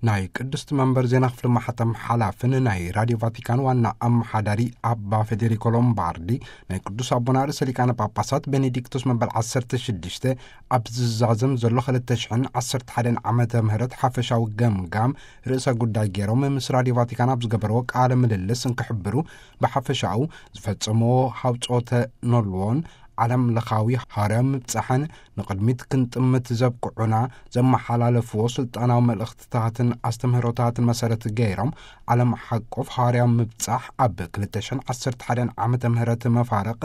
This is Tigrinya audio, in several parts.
ናይ ቅድስቲ መንበር ዜና ክፍሊ ማሕተም ሓላፍን ናይ ራድዮ ቫቲካን ዋና ኣመሓዳሪ ኣባ ፌዴሪኮ ሎምባርዲ፣ ናይ ቅዱስ ኣቦና ርእሰ ሊቃነ ጳጳሳት ቤኔዲክቶስ መበል ዓሰርተ ሽዱሽተ ኣብ ዝዛዘም ዘሎ ክልተ ሽሕን ዓሰርተ ሓደን ዓመተ ምህረት ሓፈሻዊ ገምጋም ርእሰ ጉዳይ ገይሮም ምስ ራድዮ ቫቲካን ኣብ ዝገበርዎ ቃለ ምልልስ እንክሕብሩ፣ ብሓፈሻኡ ዝፈጸምዎ ሃውጾተ ኖልዎን ዓለም ለኻዊ ሃዋርያዊ ምብጻሕን ንቕድሚት ክንጥምት ዘብቅዑና ዘመሓላለፍዎ ስልጣናዊ መልእኽትታትን ኣስተምህሮታትን መሰረት ገይሮም፣ ዓለም ሓቆፍ ሃዋርያዊ ምብጻሕ ኣብ ክልተ ሽሕን ዓሰርተ ሓደን ዓመተ ምህረት መፋርቕ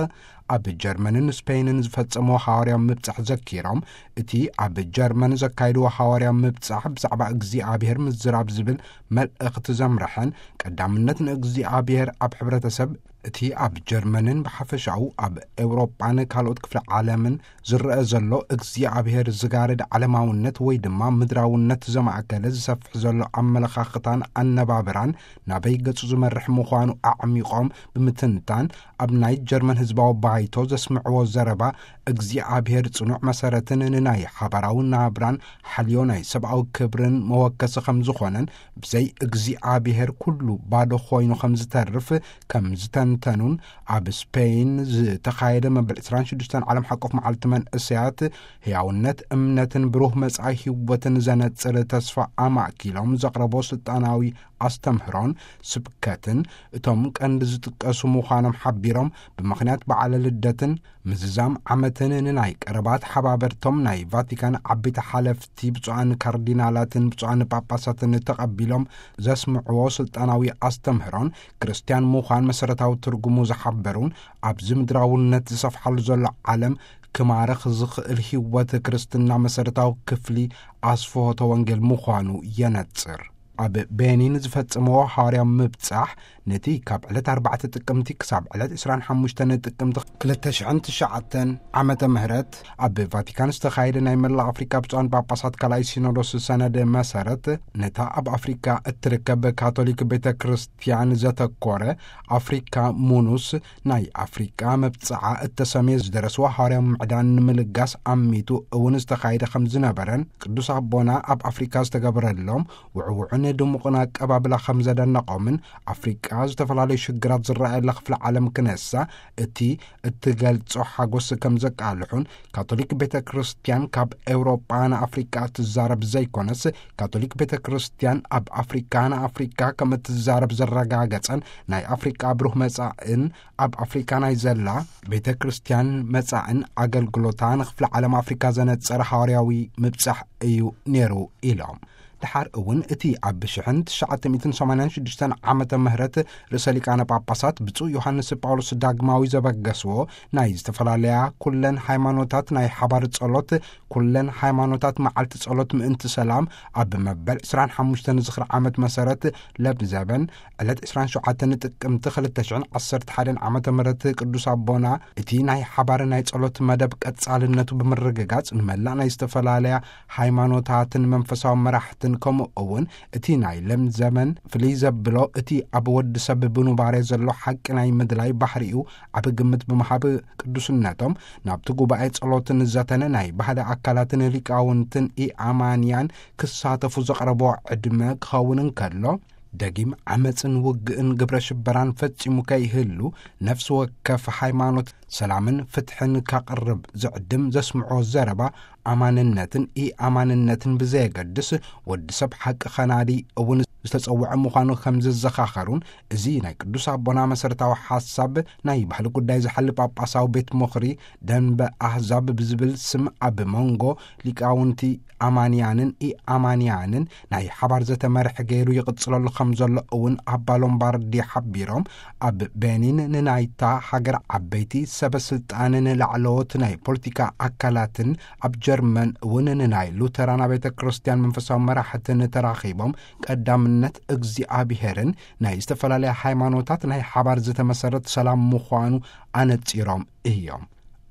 ኣብ ጀርመንን ስፔንን ዝፈጸምዎ ሃዋርያዊ ምብጻሕ ዘኪሮም፣ እቲ ኣብ ጀርመን ዘካይድዎ ሃዋርያዊ ምብጻሕ ብዛዕባ እግዚኣብሔር ምዝራብ ዝብል መልእኽቲ ዘምርሐን፣ ቀዳምነት ንእግዚኣብሔር ኣብ ሕብረተሰብ፣ እቲ ኣብ ጀርመንን ብሓፈሻኡ ኣብ ኤውሮጳን ካልኦት ክፍለ ዓለምን ዝረአ ዘሎ እግዚኣብሔር ዝጋርድ ዓለማውነት ወይ ድማ ምድራውነት ዘማእከለ ዝሰፍሕ ዘሎ ኣመለኻኽታን ኣነባብራን ናበይ ገጹ ዝመርሕ ምዃኑ ኣዕሚቖም ብምትንታን፣ ኣብ ናይ ጀርመን ህዝባዊ ባይቶ ዘስምዕዎ ዘረባ፣ እግዚኣብሔር ጽኑዕ መሰረትን ንናይ ሓባራዊ ናብራን ሓልዮ ናይ ሰብኣዊ ክብርን መወከሲ ከም ዝኾነን፣ ብዘይ እግዚኣብሔር ኩሉ ባዶ ኮይኑ ከም ዝተርፍ ከም ዝተንተኑን፣ ኣብ ስፔን ዝተኻየደ መበል ዕስራን ሽዱሽተን ዓለም ሓቆፍ መዓልቲ መንእሰያት፣ ህያውነት እምነትን ብሩህ መጻኢ ህይወትን ዘነጽር ተስፋ ኣማእኪሎም ዘቕረቦ ስልጣናዊ ኣስተምህሮን ስብከትን እቶም ቀንዲ ዝጥቀሱ ምዃኖም ሓቢሮም፣ ብምኽንያት በዓለ ልደትን ምዝዛም ዓመትን ንናይ ቀረባት ሓባበርቶም ናይ ቫቲካን ዓበይቲ ሓለፍቲ ብፁዓን ካርዲናላትን ብፁዓን ጳጳሳትን ተቐቢሎም ዘስምዕዎ ስልጣናዊ ኣስተምህሮን፣ ክርስትያን ምዃን መሰረታዊ ትርጉሙ ዝሓበሩን፣ ኣብዚ ምድራውነት ዝሰፍሓሉ ዘሎ ዓለም ክማርኽ ዝኽእል ህይወት ክርስትና መሰረታዊ ክፍሊ ኣስፍሆተ ወንጌል ምዃኑ የነጽር። ኣብ ቤኒን ዝፈጸምዎ ሃዋርያዊ ምብጻሕ፣ ነቲ ካብ ዕለት ኣርባዕተ ጥቅምቲ ክሳብ ዕለት ዕስራን ሓሙሽተን ጥቅምቲ ክልተ ሽሕን ትሽዓተን ዓመተ ምህረት ኣብ ቫቲካን ዝተኻየደ ናይ መላእ ኣፍሪካ ብፁዓን ጳጳሳት ካልኣይ ሲኖዶስ ሰነድ መሰረት፣ ነታ ኣብ ኣፍሪካ እትርከብ ካቶሊክ ቤተ ክርስትያን ዘተኮረ ኣፍሪካ ሙኑስ፣ ናይ ኣፍሪቃ መብጽዓ እተሰምየ ዝደረስዎ ሃዋርያዊ ምዕዳን ንምልጋስ ኣሚቱ እውን ዝተኻየደ ከም ዝነበረን፣ ቅዱስ ኣቦና ኣብ ኣፍሪካ ዝተገበረሎም ውዕውዕን ድሙቕን ኣቀባብላ ከም ዘደነቖምን፣ ኣፍሪቃ ዝተፈላለዩ ሽግራት ዝረኣየላ ክፍለ ዓለም ክነሳ፣ እቲ እትገልጾ ሓጎስ ከም ዘቃልሑን፣ ካቶሊክ ቤተ ክርስትያን ካብ ኤውሮጳ ንኣፍሪቃ ትዛረብ ዘይኮነስ፣ ካቶሊክ ቤተ ክርስትያን ኣብ ኣፍሪካ ንኣፍሪካ ከም እትዛረብ ዘረጋገጸን፣ ናይ ኣፍሪቃ ብሩህ መጻእን ኣብ ኣፍሪካ ናይ ዘላ ቤተ ክርስትያን መጻእን ኣገልግሎታ ንክፍለ ዓለም ኣፍሪካ ዘነጸረ ሃዋርያዊ ምብጻሕ እዩ ነይሩ ኢሎም። ድሓር እውን እቲ ኣብ ሽሕን ትሽዓተ ሚእትን ሰማንያን ሽዱሽተን ዓመተ ምህረት ርእሰ ሊቃነ ጳጳሳት ብፁዕ ዮሃንስ ጳውሎስ ዳግማዊ ዘበገስዎ ናይ ዝተፈላለያ ኩለን ሃይማኖታት ናይ ሓባር ጸሎት፣ ኩለን ሃይማኖታት መዓልቲ ጸሎት ምእንቲ ሰላም ኣብ መበል ዕስራን ሓሙሽተን ዝኽሪ ዓመት መሰረት ለብዘበን ዕለት ዕስራን ሸውዓተን ጥቅምቲ ክልተ ሽሕን ዓሰርተ ሓደን ዓመተ ምህረት ቅዱስ ኣቦና እቲ ናይ ሓባር ናይ ጸሎት መደብ ቀጻልነቱ ብምርግጋጽ ንመላእ ናይ ዝተፈላለያ ሃይማኖታትን መንፈሳዊ መራሕትን ከምኡ እውን እቲ ናይ ለም ዘመን ፍልይ ዘብሎ እቲ ኣብ ወዲ ሰብ ብኑባሬ ዘሎ ሓቂ ናይ ምድላይ ባህሪኡ ዓቢ ግምት ብምሃብ ቅዱስነቶም ናብቲ ጉባኤ ጸሎትን ዘተነ ናይ ባህሊ ኣካላትን ሊቃውንትን ኢኣማንያን ክሳተፉ ዘቕረቦ ዕድመ ክኸውን እንከሎ፣ ደጊም ዓመጽን ውግእን ግብረ ሽበራን ፈጺሙ ከይህሉ፣ ነፍሲ ወከፍ ሃይማኖት ሰላምን ፍትሕን ካቕርብ ዝዕድም ዘስምዖ ዘረባ፣ ኣማንነትን ኢኣማንነትን ብዘየገድስ፣ ወዲ ሰብ ሓቂ ኸናዲ እውን ዝተጸውዐ ምዃኑ ከም ዘዘኻኸሩን፣ እዚ ናይ ቅዱስ ኣቦና መሰረታዊ ሓሳብ ናይ ባህሊ ጉዳይ ዝሓሊ ጳጳሳዊ ቤት ምኽሪ ደንበ ኣህዛብ ብዝብል ስም ኣብ መንጎ ሊቃውንቲ ኣማንያንን ኢኣማንያንን ናይ ሓባር ዘተ መርሒ ገይሩ ይቕጽለሉ ከም ዘሎ እውን ኣባ ሎምባርዲ ሓቢሮም፣ ኣብ ቤኒን ንናይታ ሃገር ዓበይቲ ሰበ ስልጣንን ላዕለዎት ናይ ፖለቲካ ኣካላትን፣ ኣብ ጀርመን እውን ንናይ ሉተራን ቤተ ክርስቲያን መንፈሳዊ መራሕትን ተራኺቦም፣ ቀዳምነት እግዚኣብሄርን ናይ ዝተፈላለያ ሃይማኖታት ናይ ሓባር ዝተመሰረት ሰላም ምዃኑ ኣነጺሮም እዮም።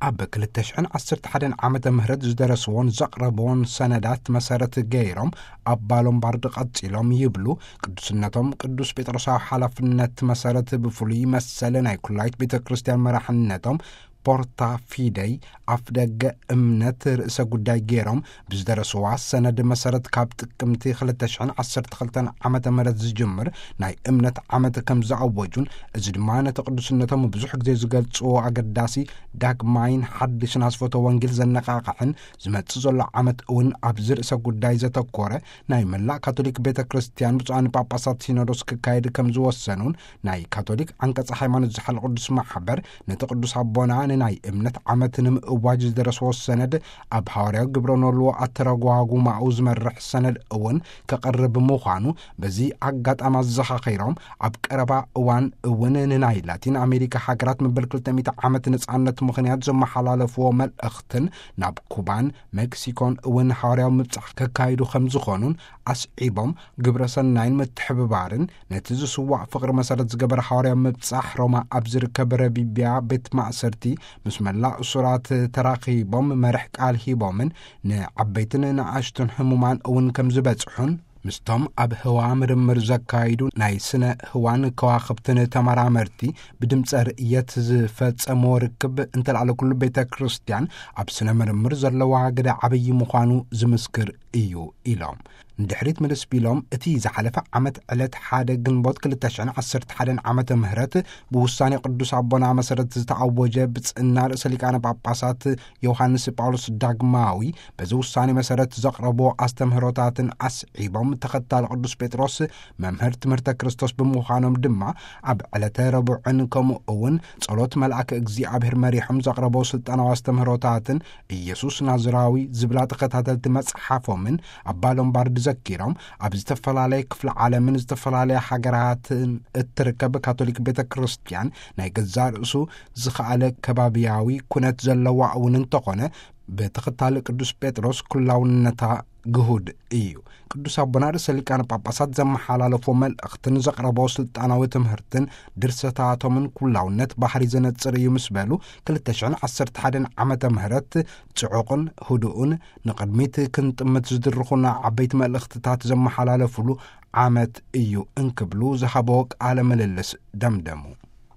ኣብ ክልተ ሽሕን ዓሰርተ ሓደን ዓመተ ምህረት ዝደረስዎን ዘቕረብዎን ሰነዳት መሰረት ገይሮም፣ ኣባ ሎምባርድ ቀጺሎም ይብሉ፣ ቅዱስነቶም ቅዱስ ጴጥሮሳዊ ሓላፍነት መሰረት ብፍሉይ መሰለ ናይ ኩላይት ቤተ ክርስቲያን መራሕነቶም ፖርታ ፊደይ ኣፍደገ እምነት ርእሰ ጉዳይ ገይሮም ብዝደረስዋ ሰነድ መሰረት፣ ካብ ጥቅምቲ ክልተ ሽሕን ዓሰርተ ክልተን ዓመተ ምህረት ዝጅምር ናይ እምነት ዓመት ከም ዝኣወጁን፣ እዚ ድማ ነቲ ቅዱስነቶም ብዙሕ ግዜ ዝገልጽዎ ኣገዳሲ ዳግማይን ሓድሽን ኣስፈቶ ወንጌል ዘነቓቕሕን፣ ዝመጽእ ዘሎ ዓመት እውን ኣብዚ ርእሰ ጉዳይ ዘተኮረ ናይ መላእ ካቶሊክ ቤተ ክርስቲያን ብፁዓን ጳጳሳት ሲኖዶስ ክካየድ ከም ዝወሰኑን፣ ናይ ካቶሊክ ዓንቀጸ ሃይማኖት ዝሓል ቅዱስ ማሕበር ነቲ ቅዱስ ኣቦና ንናይ እምነት ዓመት ንምእዋጅ ዝደረስዎ ሰነድ፣ ኣብ ሃዋርያዊ ግብረ ኖልዎ ኣተረጓጉማኡ ዝመርሕ ሰነድ እውን ከቕርብ ምዃኑ በዚ ኣጋጣሚ ኣዘኻኺሮም፣ ኣብ ቀረባ እዋን እውን ንናይ ላቲን ኣሜሪካ ሃገራት መበል ክልተ ሚእቲ ዓመት ነጻነት ምኽንያት ዘመሓላለፍዎ መልእኽትን፣ ናብ ኩባን ሜክሲኮን እውን ሃዋርያዊ ምብጻሕ ከካይዱ ከም ዝኾኑን ኣስዒቦም፣ ግብረ ሰናይን ምትሕብባርን ነቲ ዝስዋዕ ፍቕሪ መሰረት ዝገበረ ሃዋርያዊ ምብጻሕ ሮማ ኣብ ዝርከብ ረቢቢያ ቤት ማእሰርቲ ምስ መላእ እሱራት ተራኺቦም መርሕ ቃል ሂቦምን፣ ንዓበይትን ንኣሽቱን ህሙማን እውን ከም ዝበጽሑን፣ ምስቶም ኣብ ህዋ ምርምር ዘካይዱ ናይ ስነ ህዋን ከዋኽብትን ተመራመርቲ ብድምፀ ርእየት ዝፈጸምዎ ርክብ፣ እንተልኣለ ኩሉ ቤተ ክርስቲያን ኣብ ስነ ምርምር ዘለዋ ግደ ዓብዪ ምዃኑ ዝምስክር እዩ ኢሎም። ንድሕሪት ምልስ ቢሎም፣ እቲ ዝሓለፈ ዓመት ዕለት ሓደ ግንቦት ክልተ ሽሕን ዓሰርተ ሓደን ዓመተ ምህረት ብውሳኔ ቅዱስ ኣቦና መሰረት ዝተኣወጀ ብጽና ርእሰ ሊቃነ ጳጳሳት ዮሃንስ ጳውሎስ ዳግማዊ በዚ ውሳኔ መሰረት ዘቕረቦ ኣስተምህሮታትን ኣስዒቦም፣ ተኸታሊ ቅዱስ ጴጥሮስ መምህር ትምህርተ ክርስቶስ ብምዃኖም ድማ፣ ኣብ ዕለተ ረቡዕን ከምኡ እውን ጸሎት መልኣክ እግዚኣብሔር መሪሖም ዘቕረቦ ስልጣናዊ ኣስተምህሮታትን ኢየሱስ ናዝራዊ ዝብላ ተኸታተልቲ መጽሓፎምን ኣባ ሎምባርድ ዘኪሮም፣ ኣብ ዝተፈላለየ ክፍለ ዓለምን ዝተፈላለያ ሃገራትን እትርከብ ካቶሊክ ቤተ ክርስቲያን ናይ ገዛእ ርእሱ ዝኸኣለ ከባብያዊ ኩነት ዘለዋ እውን እንተኾነ፣ ብተኸታሊ ቅዱስ ጴጥሮስ ኩላውነታ ግሁድ እዩ። ቅዱስ ኣቦና ርእሰ ሊቃነ ጳጳሳት ዘመሓላለፎ መልእኽትን ዘቕረቦ ስልጣናዊ ትምህርትን ድርሰታቶምን ኩላውነት ባህሪ ዘነጽር እዩ ምስ በሉ፣ ክልተ ሽሕን ዓሰርተ ሓደን ዓመተ ምህረት ጽዑቕን ህዱእን ንቕድሚት ክንጥምት ዝድርኹና ዓበይቲ መልእኽትታት ዘመሓላለፉሉ ዓመት እዩ እንክብሉ ዝሃቦ ቃለ ምልልስ ደምደሙ።